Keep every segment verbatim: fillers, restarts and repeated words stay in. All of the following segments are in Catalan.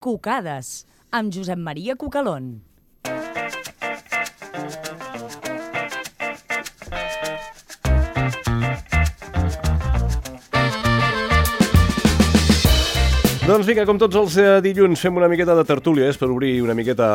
Cucades, amb Josep Maria Cucalón. Doncs vinga, com tots els eh, dilluns fem una miqueta de tertúlia, eh, per obrir una miqueta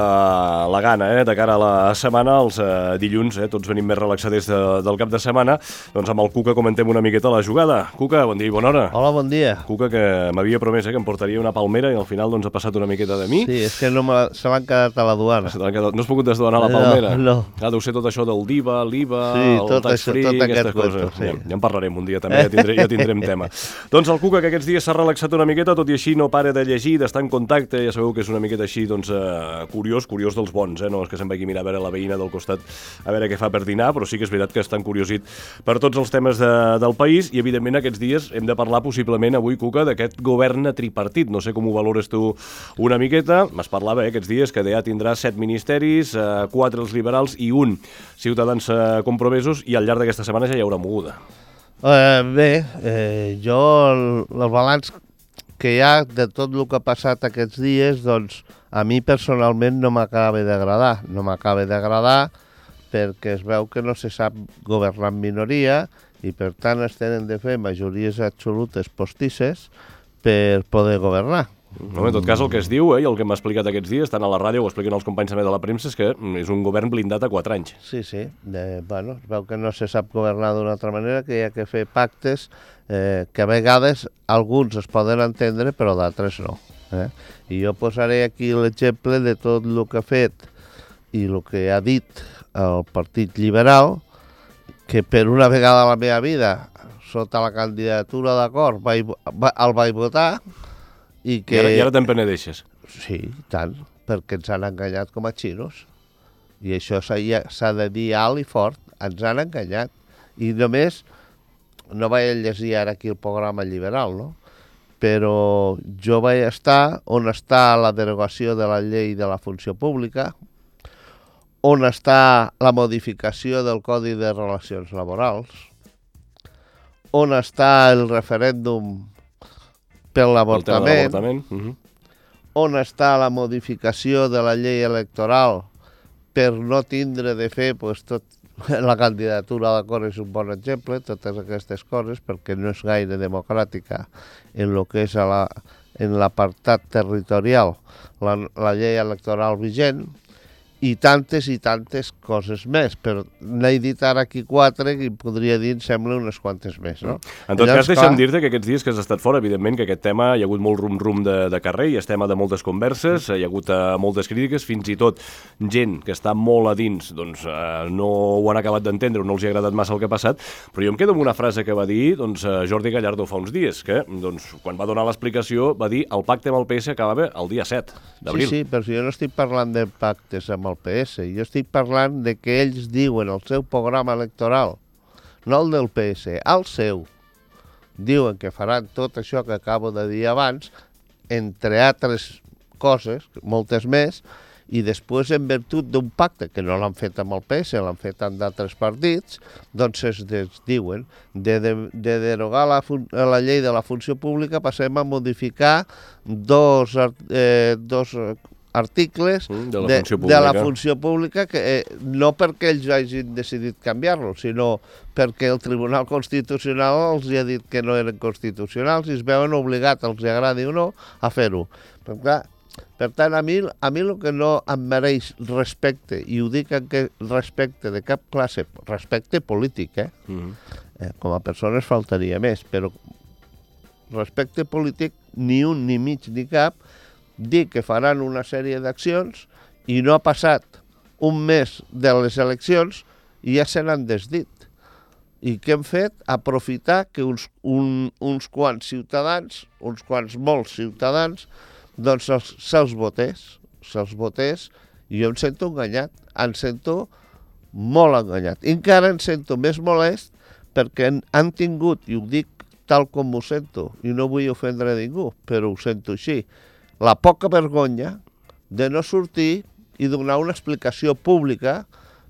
la gana, eh, de cara a la setmana, els eh, dilluns, eh, tots venim més relaxadets de, del cap de setmana, doncs amb el Cuca comentem una miqueta la jugada. Cuca, bon dia i bona hora. Hola, bon dia. Cuca, que m'havia promès eh, que em portaria una palmera i al final doncs ha passat una miqueta de mi. Sí, és que no me la... se l'han quedat a la duana. Se quedat... No has pogut desduanar la palmera? No, no. Ah, deu ser tot això del D I V A, l'I V A, Sí, el tot tax això, free, tot aquestes aquest coses. cuento, sí. Ja, ja en parlarem un dia també, ja, tindré, ja tindrem tema. Doncs el Cuca, que aquests dies s'ha relaxat una miqueta, tot i així no para de llegir, d'estar en contacte, ja sabeu que és una miqueta així, doncs, eh, curiós, curiós dels bons, eh? No és que se'n vagi a mirar a veure la veïna del costat, a veure què fa per dinar, però sí que és veritat que està encuriosit per tots els temes de, del país i, evidentment, aquests dies hem de parlar possiblement avui, Cuca, d'aquest govern tripartit. No sé com ho valores tu una miqueta. M'es parlava eh, aquests dies que ja tindrà set ministeris, eh, quatre els liberals i un Ciutadans eh, compromesos, i al llarg d'aquesta setmana ja hi haurà moguda. Eh, bé, eh, jo el, el balanç que hi ha de tot el que ha passat aquests dies, doncs a mi personalment no m'acaba d'agradar. No m'acaba d'agradar perquè es veu que no se sap governar en minoria i per tant es tenen de fer majories absolutes postisses per poder governar. No, en tot cas, el que es diu, eh, i el que m'ha explicat aquests dies, tant a la ràdio, ho expliquen els companys també de la premsa, és que és un govern blindat a quatre anys. Sí, sí. De, bueno, es veu que no se sap governar d'una altra manera, que hi ha que fer pactes eh, que a vegades alguns es poden entendre, però d'altres no. Eh? I jo posaré aquí l'exemple de tot el que ha fet i el que ha dit el Partit Liberal, que per una vegada a la meva vida, sota la candidatura d'acord, vaig, va, el vaig votar, i que... I ara, i ara te'n penedeixes. Sí, tant, perquè ens han enganyat com a xinos. I això s'ha de dir alt i fort, ens han enganyat. I només, no vaig llegir ara aquí el programa liberal, no? Però jo vaig estar on està la derogació de la llei de la funció pública, on està la modificació del Codi de Relacions Laborals, on està el referèndum per l'avortament, uh-huh. on està la modificació de la llei electoral per no tindre de fer pues, tot, la candidatura d'acord és un bon exemple, totes aquestes coses, perquè no és gaire democràtica en el que és a la, en l'apartat territorial la, la llei electoral vigent, i tantes i tantes coses més, però n'he dit ara aquí quatre i podria dir, em sembla, unes quantes més, no? En tot Llavors, cas, deixa'm clar... dir-te que aquests dies que has estat fora, evidentment que aquest tema hi ha hagut molt rum-rum de, de carrer, i és tema de moltes converses, hi ha hagut uh, moltes crítiques, fins i tot gent que està molt a dins, doncs uh, no ho han acabat d'entendre, no els hi ha agradat massa el que ha passat, però jo em quedo amb una frase que va dir doncs, uh, Jordi Gallardo fa uns dies, que doncs, quan va donar l'explicació va dir el pacte amb el P S acabava el dia set d'abril. Sí, sí, però si jo no estic parlant de pactes amb el P S, jo estic parlant de que ells diuen el seu programa electoral, no el del P S, el seu, diuen que faran tot això que acabo de dir abans, entre altres coses, moltes més, i després en virtut d'un pacte, que no l'han fet amb el P S, l'han fet amb d'altres partits, doncs es diuen de, de, de derogar la, la llei de la funció pública passem a modificar dos, eh, dos articles mm, de, la de, de la funció pública, que eh, no perquè ells hagin decidit canviar-lo, sinó perquè el Tribunal Constitucional els ha dit que no eren constitucionals i es veuen obligats, els agradi o no, a fer-ho. Per, per tant, a mi, a mi el que no em mereix respecte, i ho dic en que respecte de cap classe, respecte polític, eh? Mm-hmm. eh com a persones faltaria més, però respecte polític ni un, ni mig, ni cap, dir que faran una sèrie d'accions i no ha passat un mes de les eleccions i ja se n'han desdit. I què hem fet? Aprofitar que uns, un, uns quants ciutadans, uns quants molts ciutadans, doncs se'ls votés, se'ls votés, i jo em sento enganyat, em sento molt enganyat. I encara em sento més molest perquè han tingut, i ho dic tal com ho sento, i no vull ofendre a ningú, però ho sento així, la poca vergonya de no sortir i donar una explicació pública,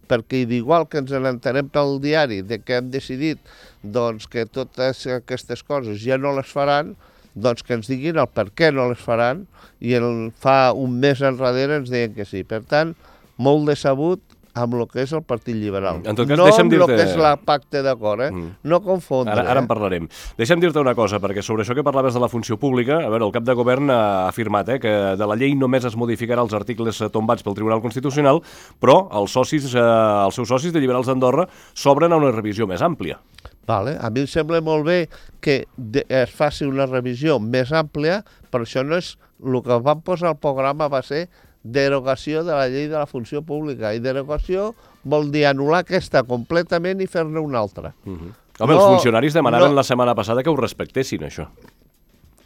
perquè d'igual que ens n'entenem pel diari de que hem decidit doncs, que totes aquestes coses ja no les faran, doncs que ens diguin el per què no les faran, i el, fa un mes enrere ens deien que sí. Per tant, molt decebut amb el que és el Partit Liberal. En tot cas, no deixa'm amb el dir-te... que és la pacte d'acord, eh? Mm. No confondre. Ara, ara en eh? parlarem. Deixa'm dir-te una cosa, perquè sobre això que parlaves de la funció pública, a veure, el cap de govern ha afirmat eh, que de la llei només es modificarà els articles tombats pel Tribunal Constitucional, però els socis, eh, els seus socis de Liberals d'Andorra s'obren a una revisió més àmplia. Vale. A mi em sembla molt bé que de, es faci una revisió més àmplia, però això no és... El que van posar al programa va ser derogació de la llei de la funció pública, i derogació vol dir anul·lar aquesta completament i fer-ne una altra. Uh -huh. Home, no, els funcionaris demanaven no. la setmana passada que ho respectessin, això.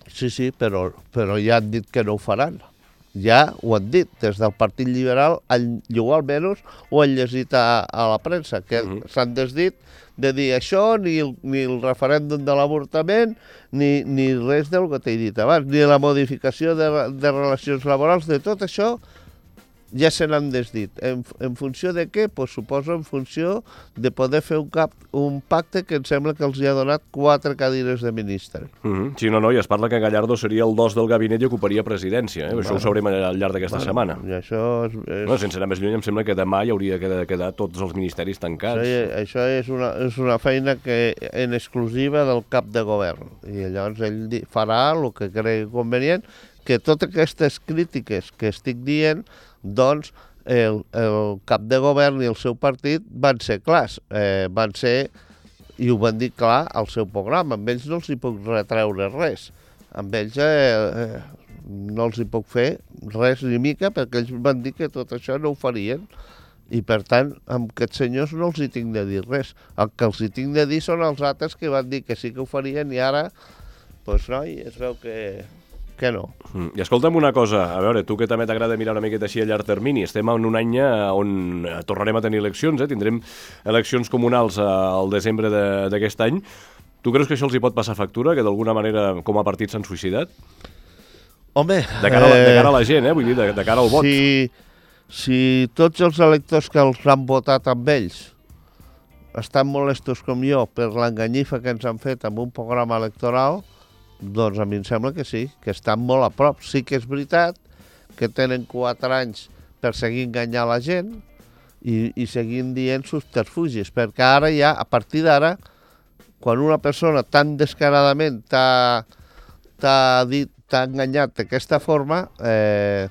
Sí, sí, però, però ja han dit que no ho faran. Ja ho han dit, des del Partit Liberal, jo almenys ho han llegit a, a la premsa, que uh -huh. s'han desdit de dir això, ni el, ni el referèndum de l'avortament, ni, ni res del que t'he dit abans, ni la modificació de, de relacions laborals, de tot això ja se n'han desdit. En, en funció de què? Pues suposo en funció de poder fer un, cap, un pacte que em sembla que els hi ha donat quatre cadires de ministre. Uh -huh. Sí, no, no, i es parla que Gallardo seria el dos del gabinet i ocuparia presidència. Eh? Bueno, això ho sabrem al llarg d'aquesta bueno, setmana. I això és, és... No, sense anar més lluny, em sembla que demà hi hauria de quedar tots els ministeris tancats. Això, això és, una, és una feina que en exclusiva del cap de govern. I llavors ell farà el que cregui convenient, que totes aquestes crítiques que estic dient, doncs el, el cap de govern i el seu partit van ser clars, eh, van ser, i ho van dir clar al seu programa. Amb ells no els hi puc retreure res, amb ells eh, eh, no els hi puc fer res ni mica, perquè ells van dir que tot això no ho farien, i per tant amb aquests senyors no els hi tinc de dir res. El que els hi tinc de dir són els altres que van dir que sí que ho farien, i ara doncs noi, es veu que que no. Mm. I escolta'm una cosa, a veure, tu que també t'agrada mirar una miqueta així a llarg termini, estem en un any on tornarem a tenir eleccions, eh? Tindrem eleccions comunals al desembre d'aquest any. Tu creus que això els hi pot passar factura, que d'alguna manera com a partit s'han suïcidat? Home... De cara, a la, de cara a la gent, eh? Vull dir, de, de cara al vot. Si, si tots els electors que els han votat amb ells estan molestos com jo per l'enganyifa que ens han fet amb un programa electoral, doncs a mi em sembla que sí, que estan molt a prop. Sí que és veritat que tenen quatre anys per seguir enganyant la gent i, i seguir dient subterfugis, perquè ara ja, a partir d'ara, quan una persona tan descaradament t'ha dit, t'ha enganyat d'aquesta forma, eh,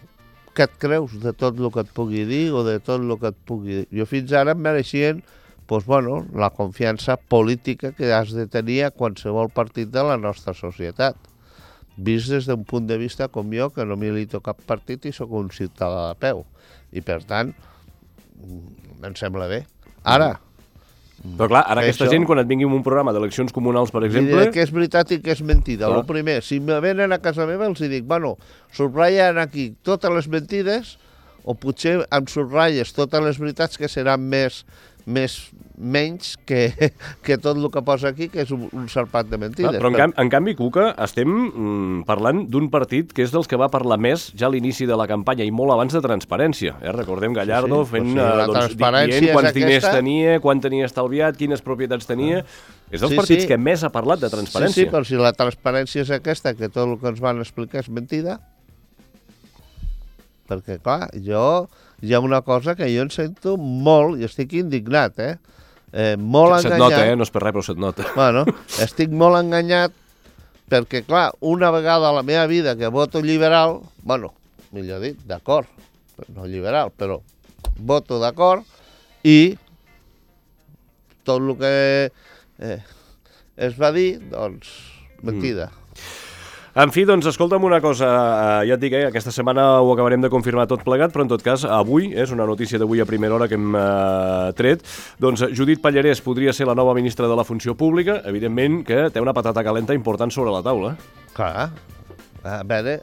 què et creus de tot el que et pugui dir o de tot el que et pugui dir? Jo fins ara em mereixien pues, bueno, la confiança política que has de tenir a qualsevol partit de la nostra societat, vist des d'un punt de vista com jo, que no milito cap partit i sóc un ciutadà de peu. I, per tant, em sembla bé. Ara... Però clar, ara aquesta això, gent, quan et vingui un programa d'eleccions comunals, per exemple... Diré que és veritat i que és mentida. El primer, si me venen a casa meva, els dic, bueno, subratllen aquí totes les mentides, o potser em subratlles totes les veritats que seran més... més menys que, que tot el que posa aquí, que és un, un sarpat de mentides. Ah, però en, cam en canvi, Cuca, estem mm, parlant d'un partit que és dels que va parlar més ja a l'inici de la campanya i molt abans de transparència. Eh? Recordem Gallardo sí, sí. fent, pues sí, doncs, dient quants diners aquesta... tenia, quant tenia estalviat, quines propietats tenia... Ah. És dels sí, partits sí. que més ha parlat de transparència. Sí, sí, però si la transparència és aquesta, que tot el que ens van explicar és mentida, perquè, clar, jo... Hi ha una cosa que jo en sento molt, i estic indignat, eh? eh molt se't enganyat. Nota, eh? No és per res, però se't nota. Bueno, estic molt enganyat perquè, clar, una vegada a la meva vida que voto liberal, bueno, millor dit, d'acord, no liberal, però voto d'acord, i tot el que eh, es va dir, doncs, mentida. Mm. En fi, doncs, escolta'm una cosa, ja et dic, eh, aquesta setmana ho acabarem de confirmar tot plegat, però en tot cas, avui, és una notícia d'avui a primera hora que hem eh, tret, doncs Judit Pallarès podria ser la nova ministra de la Funció Pública, evidentment que té una patata calenta important sobre la taula. Clar, a veure,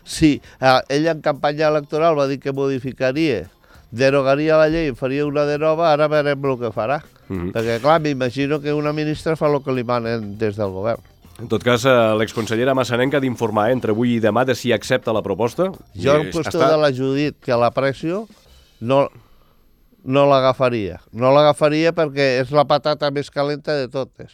sí, ell en campanya electoral va dir que modificaria, derogaria la llei, faria una de nova, ara veurem el que farà, mm-hmm. perquè clar, m'imagino que una ministra fa el que li manen des del govern. En tot cas, l'exconsellera Massanenca ha d'informar entre avui i demà de si accepta la proposta. Jo, en qüestió està... de la Judit, que l'aprecio, no, no l'agafaria. No l'agafaria perquè és la patata més calenta de totes.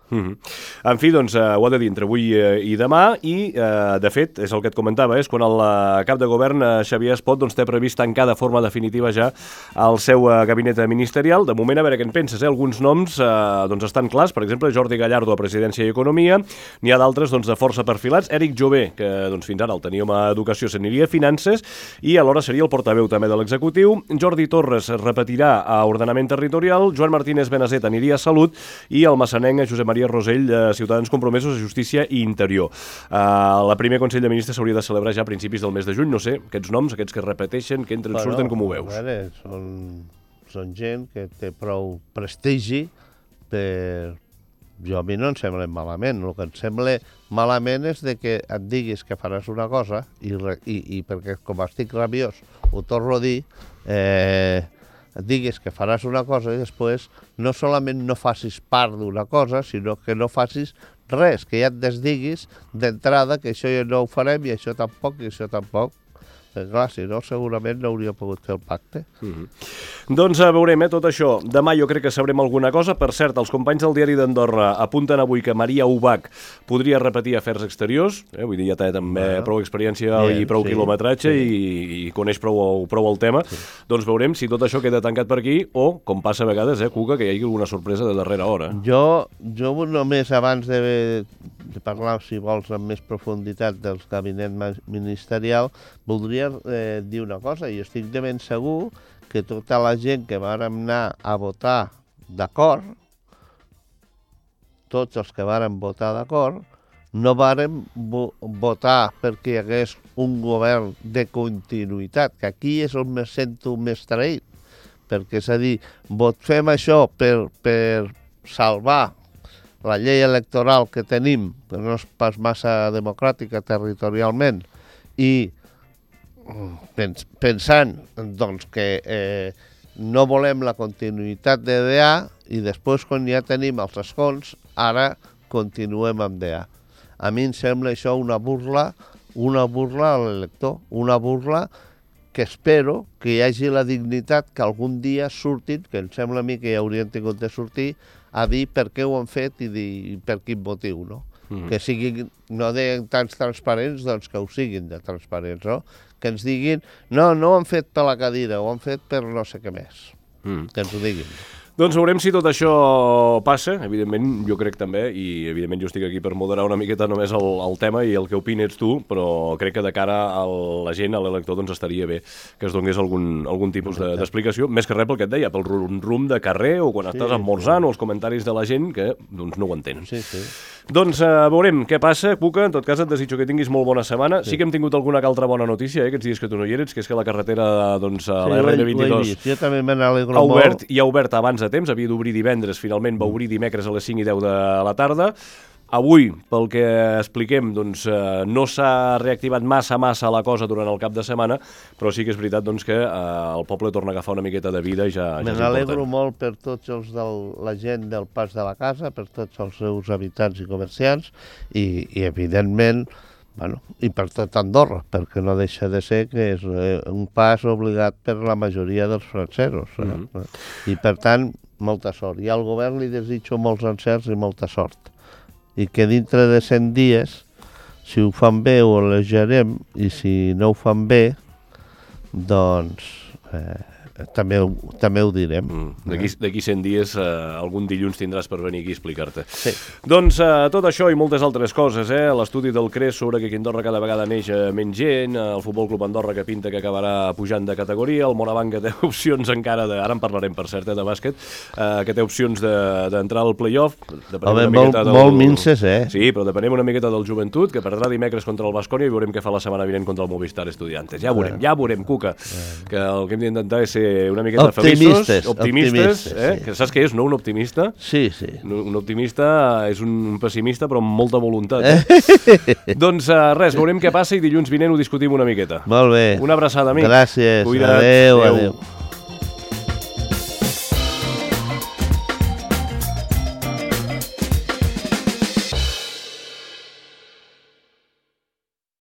Mm-hmm. En fi, doncs, eh, ho ha de dir entre avui eh, i demà i, eh, de fet, és el que et comentava, és quan el eh, cap de govern, eh, Xavier Espot, doncs, té previst tancar de forma definitiva ja el seu eh, gabinet ministerial. De moment, a veure què en penses, eh? Alguns noms eh, doncs, estan clars, per exemple, Jordi Gallardo a Presidència i Economia, n'hi ha d'altres doncs, de força perfilats, Eric Jové, que doncs, fins ara el teníem a Educació, s'aniria a Finances, i alhora seria el portaveu també de l'executiu, Jordi Torres repetirà a Ordenament Territorial, Joan Martínez Benazet aniria a Salut i el massanenc Josep Maria Rosell, eh, Ciutadans Compromesos a Justícia i Interior. Eh, la primer Consell de Ministres s'hauria de celebrar ja a principis del mes de juny, no sé, aquests noms, aquests que repeteixen, que entren, bueno, surten, com ho veus? A veure, són, són gent que té prou prestigi per... Jo a mi no em sembla malament, el que em sembla malament és de que et diguis que faràs una cosa i, i, i perquè com estic rabiós ho torno a dir, eh, et diguis que faràs una cosa i després no solament no facis part d'una cosa, sinó que no facis res, que ja et desdiguis d'entrada que això ja no ho farem i això tampoc i això tampoc. Però clar, si no, segurament no hauria pogut fer el pacte. Mm-hmm. Doncs uh, veurem, eh, tot això. Demà jo crec que sabrem alguna cosa. Per cert, els companys del Diari d'Andorra apunten avui que Maria Ubach podria repetir Afers Exteriors. Eh? Vull dir, ja té també bueno, prou experiència bien, i prou sí, quilòmetratge sí. i, i coneix prou, prou el tema. Sí. Doncs veurem si tot això queda tancat per aquí o, com passa a vegades, eh, Cuca, que hi hagi alguna sorpresa de darrera hora. Jo, jo només abans de, de parlar, si vols, amb més profunditat del gabinet ministerial, voldria eh, dir una cosa, i estic de ben segur que tota la gent que vàrem anar a votar d'acord, tots els que vàrem votar d'acord, no vàrem vo votar perquè hi hagués un govern de continuïtat, que aquí és on me sento més traït, perquè és a dir, vot fem això per, per salvar la llei electoral que tenim, que no és pas massa democràtica territorialment, i pens pensant doncs, que eh, no volem la continuïtat de D A i després, quan ja tenim els escons, ara continuem amb D A. A mi em sembla això una burla, una burla a l'elector, una burla que espero que hi hagi la dignitat que algun dia surtin, que em sembla a mi que ja haurien tingut de sortir, a dir per què ho han fet i dir per quin motiu, no? Mm-hmm. Que siguin, no deien tants transparents, doncs que ho siguin de transparents, no? Que ens diguin, no, no ho han fet per la cadira, ho han fet per no sé què més. Mm. Que ens ho diguin. Doncs veurem si tot això passa, evidentment jo crec també, i evidentment jo estic aquí per moderar una miqueta només el, el tema i el que opini ets tu, però crec que de cara a la gent, a l'elector, doncs estaria bé que es donés algun, algun tipus d'explicació, de, més que res pel que et deia, pel rum-rum de carrer o quan sí, estàs esmorzant sí. o els comentaris de la gent que doncs no ho entenen. Sí, sí. Doncs uh, veurem què passa, Cuca, en tot cas et desitjo que tinguis molt bona setmana. Sí, sí que hem tingut alguna altra bona notícia, eh, aquests dies que tu no hi eres, que és que la carretera, doncs, a sí, la R N vint-i-dos jo també me n'alegro ha obert, i ha obert abans de temps, havia d'obrir divendres, finalment va obrir dimecres a les cinc i deu de la tarda. Avui, pel que expliquem, doncs, eh, no s'ha reactivat massa, massa la cosa durant el cap de setmana, però sí que és veritat doncs, que eh, el poble torna a agafar una miqueta de vida i ja, ja Me n'alegro molt per tots els de la gent del Pas de la Casa, per tots els seus habitants i comerciants, i, i evidentment, bueno, i per tot Andorra, perquè no deixa de ser que és eh, un pas obligat per la majoria dels francesos. Eh? Mm-hmm. I per tant, molta sort. I al govern li desitjo molts encerts i molta sort. I que dintre de cent dies, si ho fan bé ho elegerem, i si no ho fan bé, doncs eh, també, ho, també ho direm. Mm. D'aquí cent dies, eh, algun dilluns tindràs per venir aquí a explicar-te. Sí. Doncs eh, tot això i moltes altres coses, eh? L'estudi del C R E S sobre que aquí a Andorra cada vegada neix eh, menys gent, eh, el Futbol Club Andorra que pinta que acabarà pujant de categoria, el Morabanc que té opcions encara, de, ara en parlarem per cert, eh, de bàsquet, eh, que té opcions d'entrar de, al play-off. Home, molt, del... molt minces, eh? Sí, però depenem una miqueta del Joventut, que perdrà dimecres contra el Baskonia i veurem què fa la setmana vinent contra el Movistar Estudiantes. Ja veurem, ja veurem, Cuca, que el que hem d'intentar és ser una miqueta optimistes, feliços, optimistes, optimistes eh? sí. Que saps què és, no? Un optimista? Sí, sí. Un, un optimista és un pessimista, però amb molta voluntat. Eh? Doncs uh, res, veurem què passa i dilluns vinent ho discutim una miqueta. Molt bé. Una abraçada, amic. Gràcies. Cuida't. Adéu, adéu. adéu.